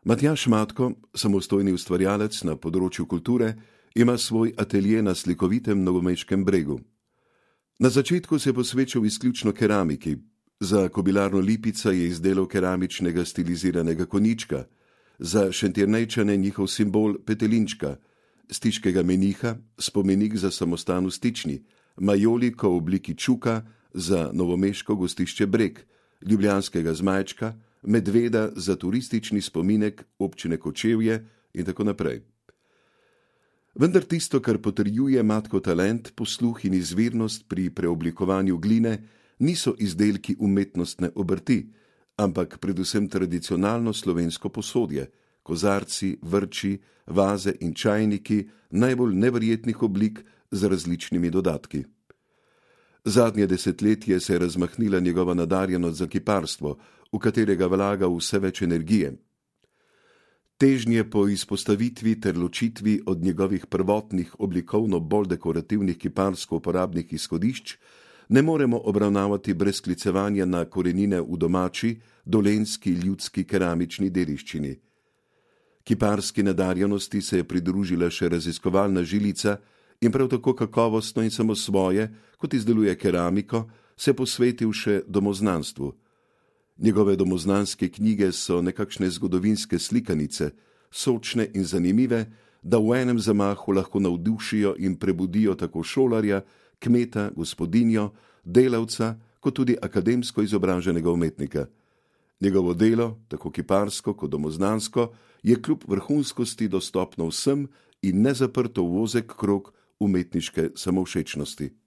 Matjaž Matko, samostojni ustvarjalec na področju kulture, ima svoj atelje na slikovitem Novomeškem bregu. Na začetku se je posvečal izključno keramiki. Za kobilarno Lipica je izdelal keramičnega stiliziranega konjička, za Šentjernejčane njihov simbol petelinčka, stiškega meniha, spomenik za samostan v Stični, majoliko v obliki čuka za novomeško gostišče Breg, ljubljanskega zmajčka, medveda za turistični spominek občine Kočevje in tako naprej. Vendar tisto, kar potrjuje Matkov talent, posluh in izvirnost pri preoblikovanju gline, niso izdelki umetnostne obrti, ampak predvsem tradicionalno slovensko posodje, kozarci, vrči, vaze in čajniki najbolj neverjetnih oblik z različnimi dodatki. Zadnje desetletje se je razmahnila njegova nadarjenost za kiparstvo, v katerega vlaga vse več energije. Težnje po izpostavitvi ter ločitvi od njegovih prvotnih oblikovno bolj dekorativnih kiparsko uporabnih izhodišč ne moremo obravnavati brez sklicevanja na korenine v domači, dolenjski ljudski keramični dediščini. Kiparski nadarjenosti se je pridružila še raziskovalna žilica in prav tako kakovostno in samosvoje, kot izdeluje keramiko, se posvetil še domoznanstvu. Njegove domoznanske knjige so nekakšne zgodovinske slikanice, sočne in zanimive, da v enem zamahu lahko navdušijo in prebudijo tako šolarja, kmeta, gospodinjo, delavca, kot tudi akademsko izobraženega umetnika. Njegovo delo, tako kiparsko kot domoznansko, je kljub vrhunskosti dostopno vsem in ne zaprto v ozek krog umetniške samovšečnosti.